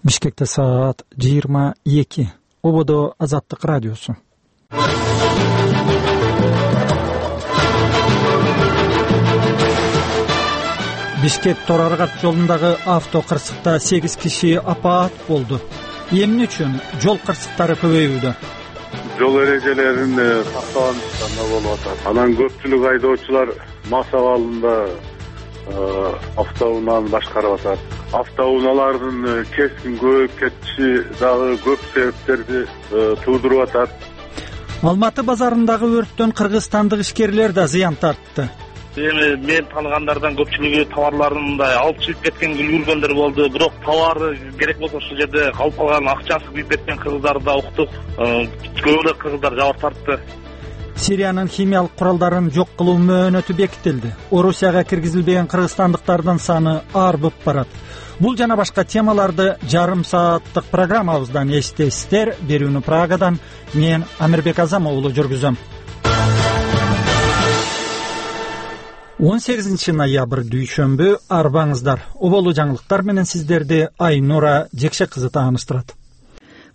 Бишкекте саат 22. Ободо Азаттык радиосу. Бишкек Тораргат жолундагы авто кырсыкта 8 киши апаат болду. Эмне үчүн жол кырсыктары көбөйүүдө? Жол эрежелерин сактабастан болуп атат. Анан көпчүлүк айдоочулар мас абалында автоунааны башкарып атат. Автоунаалардын кескин көбөйүп кетиши дагы көп себептерди туудуруп атат. Алматы базарындагы өрттөн кыргызстандык ишкерлер да зыян тартты. Эми мен тааныгандардан көпчүлүгү товарларын мындай алып чыгып кеткен үлгүргөндөр болду. Бирок товары керек болсо ушул жерде калып калган, акчасы күйүп кеткен кыргыздарды да уктук. Көбүрөөк кыргыздар жабыр тартты. Сириянын химиялык куралдарын жок кылуу мөөнөтү бекитилди. Орусияга киргизилбеген кыргызстандыктардын саны арбып барат. Бул жана башка темаларды жарым сааттык программабыздан эстейсиздер. Берүүнү Прагадан мен Амирбек Азам уулу жүргүзөм. 18 ноябрь дүйшөмбү арбаңыздар. Оболу жаңылыктар менен сиздерди Айнура Жекше кызы тааныштырат.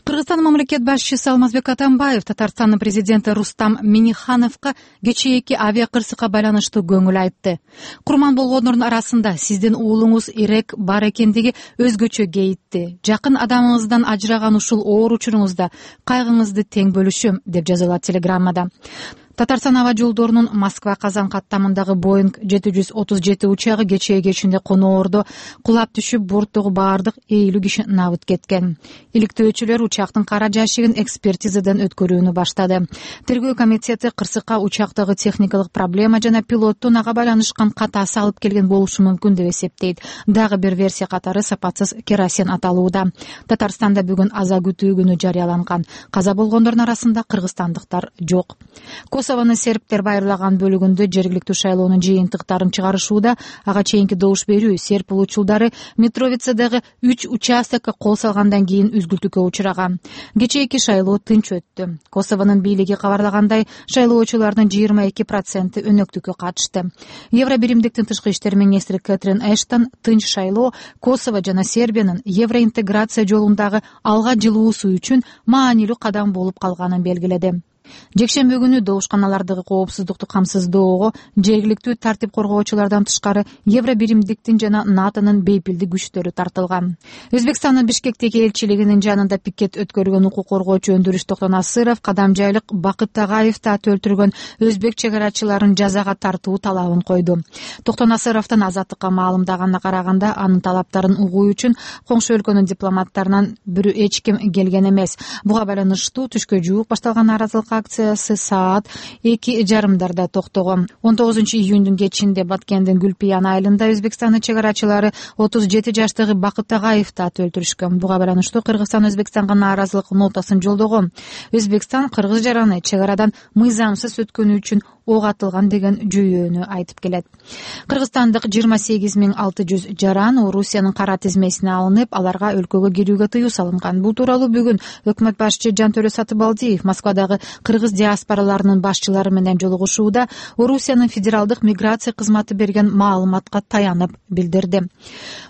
Кыргызстан мамлекет башчысы Алмазбек Атамбаев Татарстандын президенти Рустам Миннихановго кечээки авиа кырсыкка байланыштуу көңүл айтты. Курман болгондордун арасында сиздин уулуңуз Ирек бар экендиги өзгөчө кейитти. Жакын адамыңыздан ажыраган ушул оор учуруңузда кайгыңызды тең бөлүшөм, деп жазылат телеграммада. Татарстан аба жолдорунун Москва-Казан каттамындагы Боинг 737 учагы кечээ кечинде коноордо кулап түшүп, борттогу баардык 50 киши набыт кеткен. Иликтөөчүлөр учактын кара жашыгын экспертизадан өткөрүүнү баштады. Тергөө комитети кырсыкка учактагы техникалык проблема жана пилоттун ага байланышкан катасы алып келген болушу мүмкүн деп эсептейт. Дагы бир версия катары сапатсыз керосин аталууда. Татарстанда бүгүн аза күтүү күнү жарыяланган. Каза болгондордун арасында кыргызстандыктар жок. Косовонун сербтер байырлаган бөлүгүндө жергиликтүү шайлоонун жыйынтыктарын чыгарышууда. Ага чейинки добуш берүү серб улуучулдары Митровицадагы 3 участокко кол салгандан кийин үзгүлтүккө учураган. Кечээки шайлоо тынч өттү. Косовонун бийлиги кабарлагандай, шайлоочулардын 22% өнөктүккө катышты. Евробиримдиктин тышкы иштер министри Кэтрин Эштон тынч шайлоо Косово жана Сербиянын евроинтеграция жолундагы алга жылуусу үчүн маанилүү кадам болуп калганын белгиледи. Жекшембү күнү добушканалардагы коопсуздукту камсыздоого жергиликтүү тартип коргоочулардан тышкары Евробиримдиктин жана НАТОнун бейпилдик күчтөрү тартылган. Өзбекстандын Бишкектеги элчилигинин жанында пикет өткөргөн укук коргоочу Өндүрүш Токтонасыров кадамжайлык Бакыт Тагаевди аты өлтүргөн өзбек чегарачыларын жазага тартуу талабын койду. Токтонасыровдун Азаттыкка маалымдаганына караганда, анын талаптарын угуу үчүн коңшу өлкөнүн дипломаттарынан бирөө эч ким келген эмес. Буга байланыштуу түшкө жуук башталган нааразылык акциясы саат 2:30 токтогон. 19 июндун кечинде Баткендин Гүлпиян айылында Өзбекстандын чегарачылары 37 жаштагы Бакыт Тагаевди аты өлтүрүшкөн. Буга байланыштуу Кыргызстан Өзбекстанга нааразылык нотасын жолдогон. Өзбекстан кыргыз жараны чегарадан мыйзамсыз өткөнү үчүн ок атылган деген жүйөнү айтып келет. Кыргызстандык 28.600 жаран Орусиянын кара тизмесине алынып, аларга өлкөгө кирүүгө тыюу салынган. Бул тууралуу бүгүн өкмөт башчы Жантөлө Сатыбалдиев Москвадагы кыргыз диаспораларынын башчылары менен жолугушууда Орусиянын федералдык миграция кызматы берген маалыматка таянып билдирди.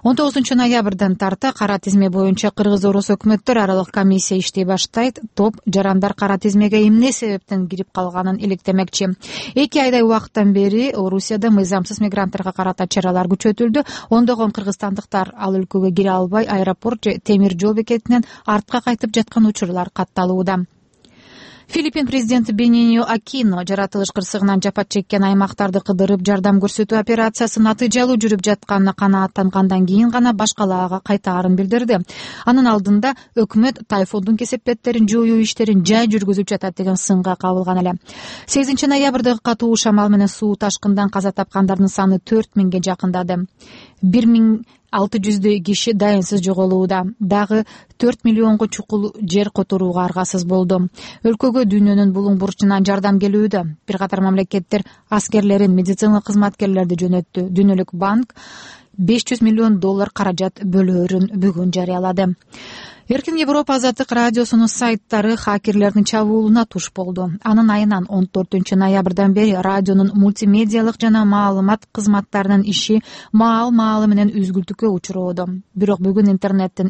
19 ноябрдан тарта кара тизме боюнча Кыргыз-Орус өкмөттөр аралык комиссия иштей баштайт. Топ жарандар кара тизмеге эмне себептен кирип калганын иликтемекчи. 2 айдай убакыттан бери Орусияда мыйзамсыз мигранттарга карата чаралар күчөтүлдү. Ондогон кыргызстандыктар ал өлкөгө кире албай, аэропорт же темир жол бекетинен артка кайтып жаткан учурлар катталууда. Филиппин президенти Бенинио Акино жаратылыш кырсыгынан жапат чеккен аймактарды кыдырып жардам көрсөтүү операциясы натыйжалуу жүрүп жатканына канааттангандан кийин гана башкалаага кайтаарын билдирди. Анын алдында өкмөт тайфундун кесепеттерин жоюу иштерин жай жүргүзүп жатат деген сынга кабылган эле. 8 ноябрдагы катуу шамал менен суу ташкындан каза тапкандардын саны 4000ге жакындады. 1600 киши дайынсыз жоголууда. Дагы 4 миллионго чукул жер которууга аргасыз болду. Өлкөгө дүйнөнүн булуң бурчунан жардам келүүдө. Бир катар мамлекеттер аскерлерин, медициналык кызматкерлерди жөнөттү. Дүйнөлүк банк $500 миллион каражат бөлөөрүн бүгүн жарыялады. Эркин Европа Азаттык радиосунун сайттары хакерлердин чабуулуна туш болду. Анын айынан 14 ноябрдан бери радионун мультимедиалык жана маалымат кызматтарынын иши маал-маалы менен үзгүлтүккө учуроодо. Бирок бүгүн интернеттин